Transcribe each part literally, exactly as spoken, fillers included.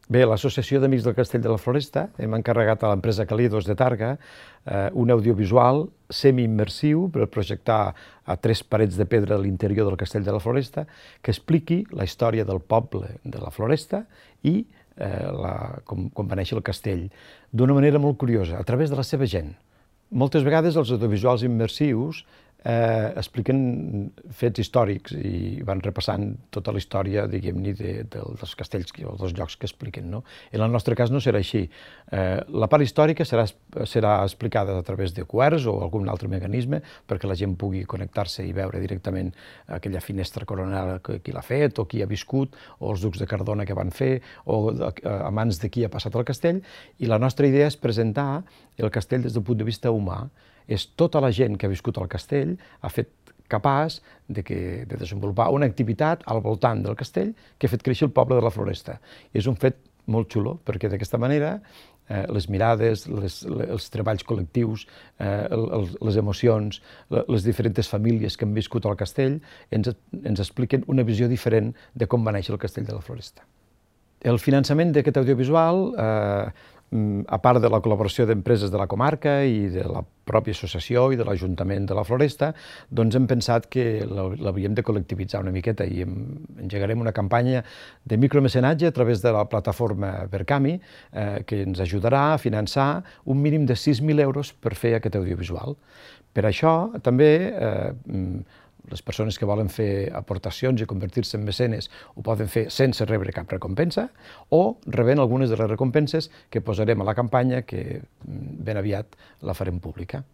Bé, l'Associació d'Amics del Castell de la Floresta hem encarregat a l'empresa Calidos de Targa eh, un audiovisual semi-immersiu per projectar a tres parets de pedra a l'interior del Castell de la Floresta que expliqui la història del poble de la Floresta i eh, la, com, com va néixer el castell d'una manera molt curiosa, a través de la seva gent. Moltes vegades els audiovisuals immersius eh, expliquen fets històrics i van repassant tota la història, diguem-ne, de, de, dels castells o dels llocs que expliquen, no? En el nostre cas no serà així. Eh, la part històrica serà, serà explicada a través de Q Rs o algun altre mecanisme perquè la gent pugui connectar-se i veure directament aquella finestra coronada que qui l'ha fet o qui ha viscut o els ducs de Cardona que van fer o a mans de qui ha passat el castell, i la nostra idea és presentar el castell des del punt de vista humà. És tota la gent que ha viscut al castell ha fet capaç de, que, de desenvolupar una activitat al voltant del castell que ha fet créixer el poble de la Floresta. I és un fet molt xulo, perquè d'aquesta manera eh, les mirades, les, els treballs col·lectius, eh, el, les emocions, les diferents famílies que han viscut al castell ens, ens expliquen una visió diferent de com va néixer el castell de la Floresta. El finançament d'aquest audiovisual, eh, a part de la col·laboració d'empreses de la comarca i de la pròpia associació i de l'Ajuntament de la Floresta, doncs hem pensat que l'havíem de col·lectivitzar una miqueta i engegarem una campanya de micromecenatge a través de la plataforma Verkami eh, que ens ajudarà a finançar un mínim de sis mil euros per fer aquest audiovisual. Per això també eh, les persones que volen fer aportacions i convertir-se en mecenes ho poden fer sense rebre cap recompensa o rebent algunes de les recompenses que posarem a la campanya que ben aviat la farem pública.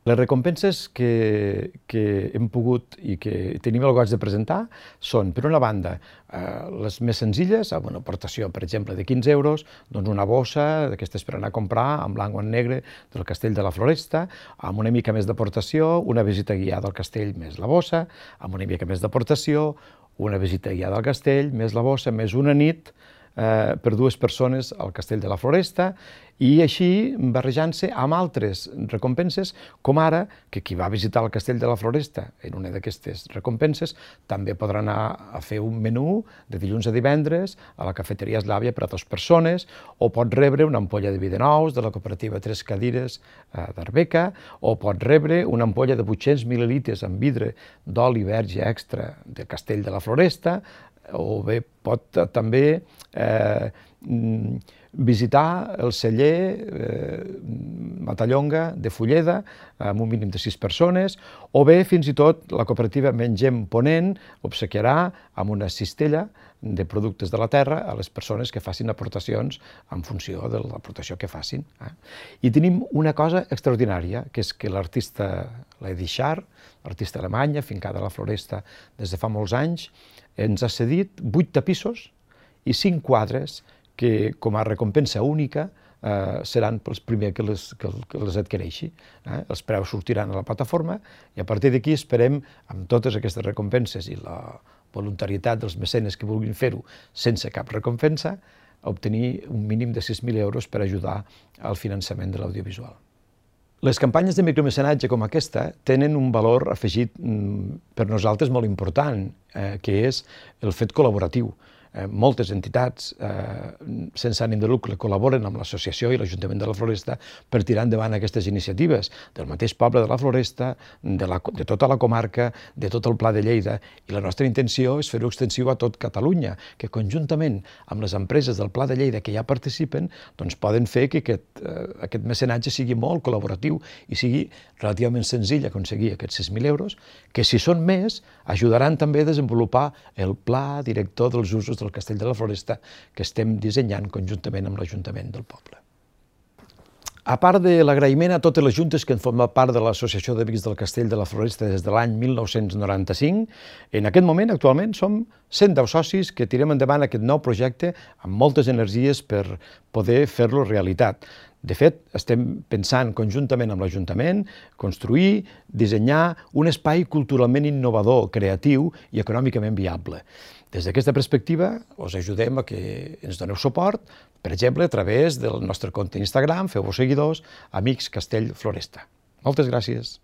Les recompenses que, que hem pogut i que tenim el goig de presentar són, per una banda, eh, les més senzilles, amb una aportació, per exemple, de quinze euros, doncs una bossa d'aquestes per anar a comprar en blanc o en negre del Castell de la Floresta, amb una mica més d'aportació, una visita guiada al castell més la bossa, amb una mica més d'aportació, una visita guiada al castell més la bossa, més una nit eh, per dues persones al Castell de la Floresta, i així barrejant-se amb altres recompenses, com ara que qui va visitar el Castell de la Floresta en una d'aquestes recompenses també podrà anar a fer un menú de dilluns a divendres a la cafeteria Eslàvia per a dues persones, o pot rebre una ampolla de vi de nous de la cooperativa Tres Cadires d'Arbeca, o pot rebre una ampolla de vuit-cents mil·lilitres amb vidre d'oli verge extra del Castell de la Floresta, o bé pot també eh, visitar el celler eh, Matallonga de Fulleda amb un mínim de sis persones, o bé fins i tot la cooperativa Mengem Ponent obsequiarà amb una cistella de productes de la terra a les persones que facin aportacions en funció de l'aportació que facin. Eh? I tenim una cosa extraordinària, que és que l'artista Lady Shar, l'artista alemanya, fincada a la Floresta des de fa molts anys, ens ha cedit vuit tapissos i cinc quadres que, com a recompensa única, eh, seran pels primers que les, que, que les adquireixi. Eh? Els preus sortiran a la plataforma i a partir d'aquí esperem, amb totes aquestes recompenses i la voluntarietat dels mecenes que vulguin fer-ho sense cap recompensa, obtenir un mínim de sis mil euros per ajudar al finançament de l'audiovisual. Les campanyes de micromecenatge com aquesta tenen un valor afegit per nosaltres molt important, eh, que és el fet col·laboratiu. Eh, moltes entitats eh, sense ànim de lucre col·laboren amb l'associació i l'Ajuntament de la Floresta per tirar endavant aquestes iniciatives del mateix poble de la Floresta, de, la, de tota la comarca, de tot el Pla de Lleida, i la nostra intenció és fer-ho extensiu a tot Catalunya, que conjuntament amb les empreses del Pla de Lleida que ja participen, doncs poden fer que aquest, eh, aquest mecenatge sigui molt col·laboratiu i sigui relativament senzill aconseguir aquests sis mil euros, que si són més ajudaran també a desenvolupar el pla director dels usos del Castell de la Floresta que estem dissenyant conjuntament amb l'Ajuntament del poble. A part de l'agraïment a totes les juntes que han format part de l'Associació d'Amics del Castell de la Floresta des de l'any mil nou-cents noranta-cinc, en aquest moment, actualment, som cent deu socis que tirem endavant aquest nou projecte amb moltes energies per poder fer-lo realitat. De fet, estem pensant conjuntament amb l'Ajuntament construir, dissenyar un espai culturalment innovador, creatiu i econòmicament viable. Des d'aquesta perspectiva, us ajudem a que ens doneu suport, per exemple, a través del nostre compte Instagram, feu-vos seguidors, Amics Castell Floresta. Moltes gràcies.